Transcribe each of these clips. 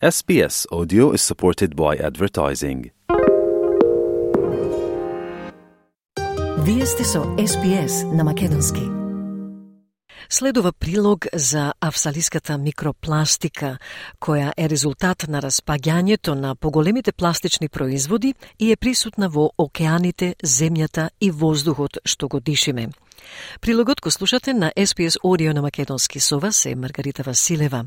SBS Audio is supported by advertising. Вие сте со SBS на македонски. Следува прилог за австралиската микропластика, која е резултат на распаѓањето на поголемите пластични производи и е присутна во океаните, земјата и воздухот што го дишиме. Прилогот го слушате на SBS Audio на македонски, со вас е Маргарита Василева.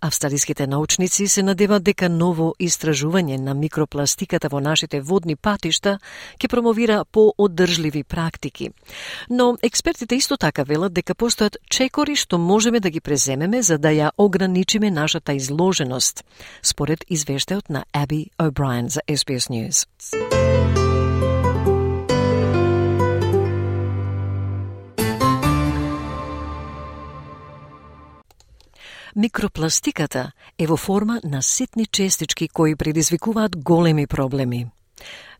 Австралиските научници се надеваат дека ново истражување на микропластиката во нашите водни патишта ќе промовира по-оддржливи практики. Но експертите исто така велат дека постојат чекори што можеме да ги преземеме за да ја ограничиме нашата изложеност, според извештајот на Abby O'Brien за SBS News. Микропластиката е во форма на ситни честички кои предизвикуваат големи проблеми.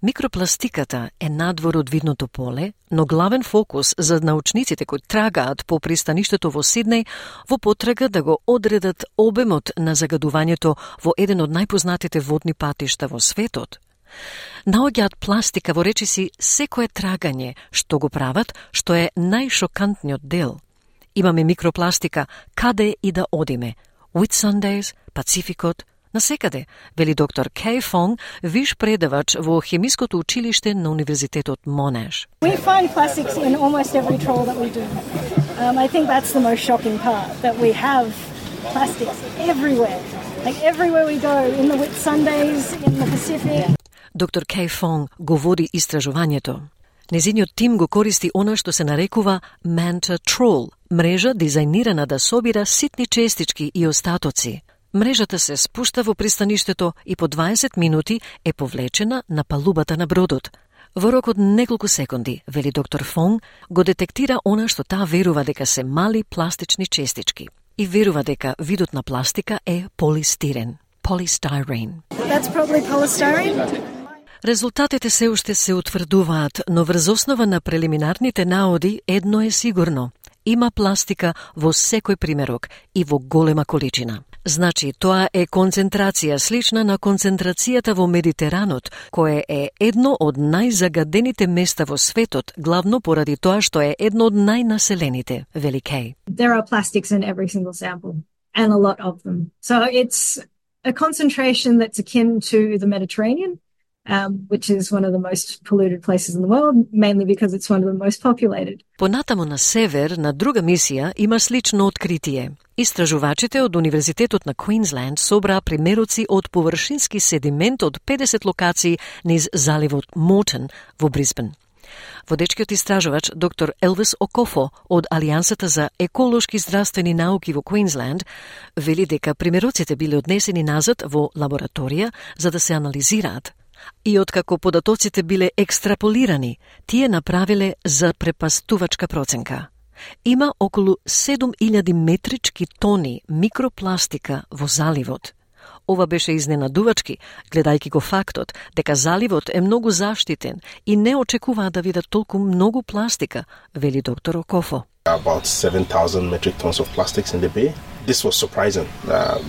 Микропластиката е надвор од видното поле, но главен фокус за научниците кои трагаат по пристаништето во Сиднеј во потрага да го одредат обемот на загадувањето во еден од најпознатите водни патишта во светот. Наоѓаат пластика во речиси секое трагање што го прават, што е најшокантниот дел. Имаме микропластика каде и да одиме. Whitsundays, Пацификот, насекаде, вели доктор Kay Fong, виш предавач во хемиското училиште на Универзитетот Monash. We find plastics in almost every trawl that we do. I think that's the most shocking part, that we have plastics everywhere. Like everywhere we go, in the Whitsundays, in the Pacific. Доктор Kay Fong го води истражувањето. Незиниот тим го користи она што се нарекува Manta Trawl, мрежа дизајнирана да собира ситни честички и остатоци. Мрежата се спушта во пристаништето и по 20 минути е повлечена на палубата на бродот. Во рок од неколку секунди, вели доктор Фонг, го детектира она што таа верува дека се мали пластични честички. И верува дека видот на пластика е полистирен, polystyrene. That's probably polystyrene. Резултатите се уште се утврдуваат, но врз основа на прелиминарните наоди едно е сигурно. Има пластика во секој примерок и во голема количина. Значи, тоа е концентрација слична на концентрацијата во Медитеранот, кое е едно од најзагадените места во светот, главно поради тоа што е едно од најнаселените, вели Кей. There are plastics in every single sample, and a lot of them. So it's a concentration that's akin to the Mediterranean, which is one of the most polluted places in the world, mainly because it's one of the most populated. Понатамо на север, на друга мисија, има слично откритие. Истражувачите од Универзитетот на Квинсленд собраа примероци од површински седимент од 50 локации низ заливот Мортон во Брисбен. Водечкиот истражувач доктор Елвис Окофо од Алијансата за еколошки здравствени науки во Квинсленд вели дека примероците биле однесени назад во лабораторија за да се анализираат. И откако податоците биле екстраполирани, тие направиле за препастувачка проценка. Има околу 7000 метрички тони микропластика во заливот. Ова беше изненадувачки, гледајќи го фактот дека заливот е многу заштитен и не очекуваа да видат толку многу пластика, вели доктор Окофо. About 7,000 metric tons of plastics in the bay. This was surprising,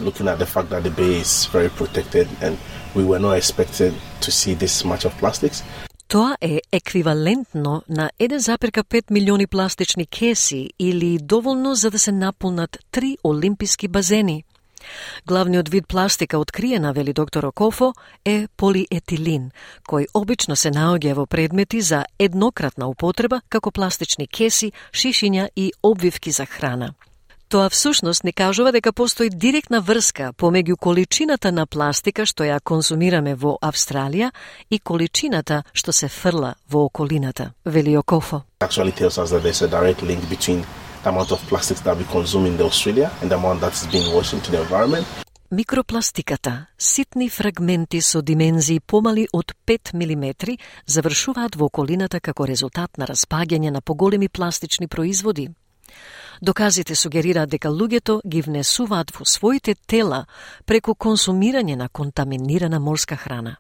looking at the fact that the bay is very protected and we were not expected to see this much of plastics. Тоа е еквивалентно на 1,5 милиони пластични кеси или доволно за да се наполнат 3 олимписки базени. Главниот вид пластика откриена, вели доктор Окофо, е полиетилин, кој обично се наоѓа во предмети за еднократна употреба како пластични кеси, шишиња и обвивки за храна. Тоа всушност не кажува дека постои директна врска помеѓу количината на пластика што ја консумираме во Австралија и количината што се фрла во околината, вели Окофо. Actually tells us that there's a direct link between the amount of plastics that we consume in Australia and the amount that's being washed into the environment. Микропластиката, ситни фрагменти со димензии помали од 5 мм, завршуваат во околината како резултат на распаѓање на поголеми пластични производи. Доказите сугерираат дека луѓето ги внесуваат во своите тела преку консумирање на контаминирана морска храна.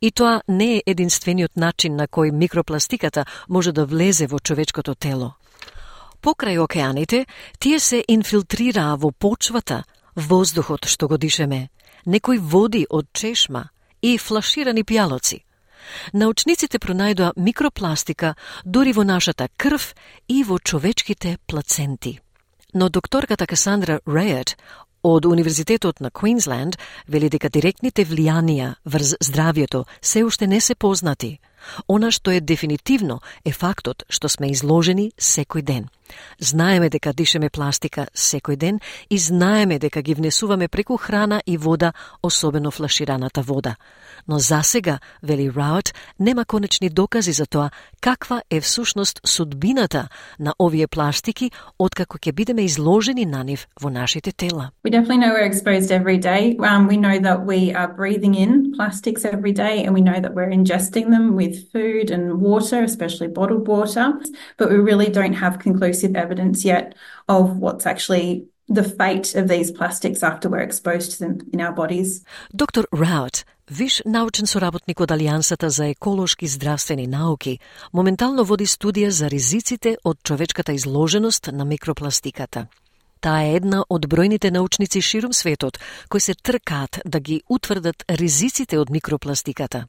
И тоа не е единствениот начин на кој микропластиката може да влезе во човечкото тело. Покрај океаните, тие се инфилтрираа во почвата, воздухот што го дишеме, некои води од чешма и флаширани пјалоци. Научниците пронајдоа микропластика дури во нашата крв и во човечките плаценти. Но докторката Касандра Рейерт од Универзитетот на Квинсленд вели дека директните влијанија врз здравјето се уште не се познати. Она што е дефинитивно е фактот што сме изложени секој ден. Знаеме дека дишеме пластика секој ден и знаеме дека ги внесуваме преку храна и вода, особено флашираната вода. Но засега, вели Раут, нема конечни докази за тоа каква е всушност судбината на овие пластики откако ќе бидеме изложени на нив во нашите тела. We definitely know we're exposed every day. We know that we are breathing in plastics every day, and we know that we're ingesting them with food and water, especially bottled water, but we really don't have conclusive evidence yet of what's actually the fate of these plastics after we're exposed to them in our bodies. Доктор Раут, виш научен соработник од Алијансата за еколошки здравствени науки, моментално води студија за ризиците од човечката изложеност на микропластиката. Таа е една од бројните научници ширум светот кои се тркаат да ги утврдат ризиците од микропластиката.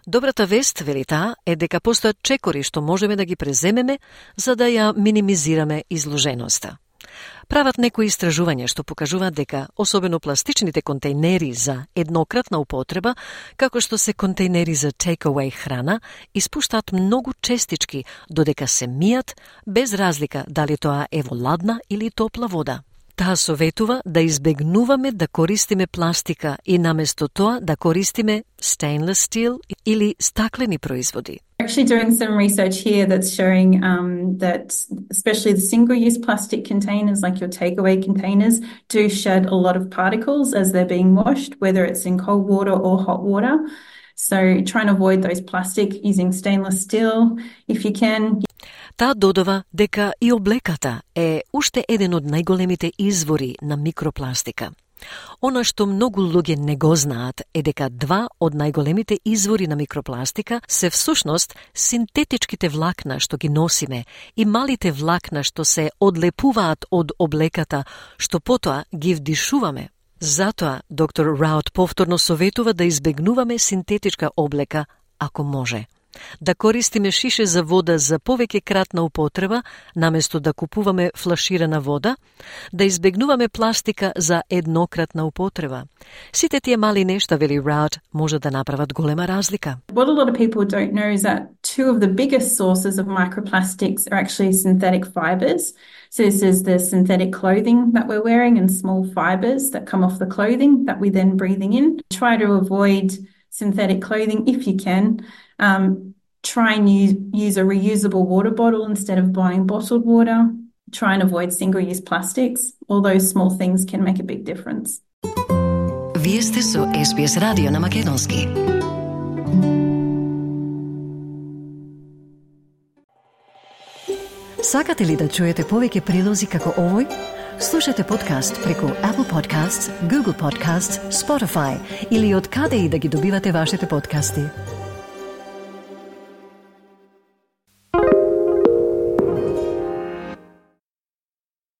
Добрата вест, вели таа, е дека постојат чекори што можеме да ги преземеме за да ја минимизираме изложеноста. Прават некои истражувања што покажуваат дека, особено пластичните контейнери за еднократна употреба, како што се контейнери за take-away храна, испуштаат многу честички додека се мијат, без разлика дали тоа е во ладна или топла вода. Таа советува да избегнуваме да користиме пластика и наместо тоа да користиме stainless steel или стаклени производи. We're actually doing some research here that's showing that especially the single-use plastic containers, like your takeaway containers, do shed a lot of particles as they're being washed, whether it's in cold water or hot water. So try and avoid those plastic using stainless steel if you can. Таа додава дека и облеката е уште еден од најголемите извори на микропластика. Она што многу луѓе не го знаат е дека два од најголемите извори на микропластика се всушност синтетичките влакна што ги носиме и малите влакна што се одлепуваат од облеката што потоа ги вдишуваме. Затоа доктор Раут повторно советува да избегнуваме синтетичка облека ако може. Да користиме шише за вода за повеќе кратна употреба, наместо да купуваме флаширана вода, да избегнуваме пластика за еднократна употреба. Сите тие мали нешта, вели Раут, може да направат голема разлика. What a lot of people don't know is that two of the biggest sources of microplastics are actually synthetic fibers. So this is the synthetic clothing that we're wearing and small fibers that come off the clothing that we then breathing in. Try to avoid synthetic clothing if you can. Try and use a reusable water bottle instead of buying bottled water. Try and avoid single-use plastics. All those small things can make a big difference. Вие сте со SBS радио на македонски. Сакате ли да чуете повеќе прилози како овој? Слушате подкаст преку Apple Podcasts, Google Podcasts, Spotify или од каде и да ги добивате вашите подкасти.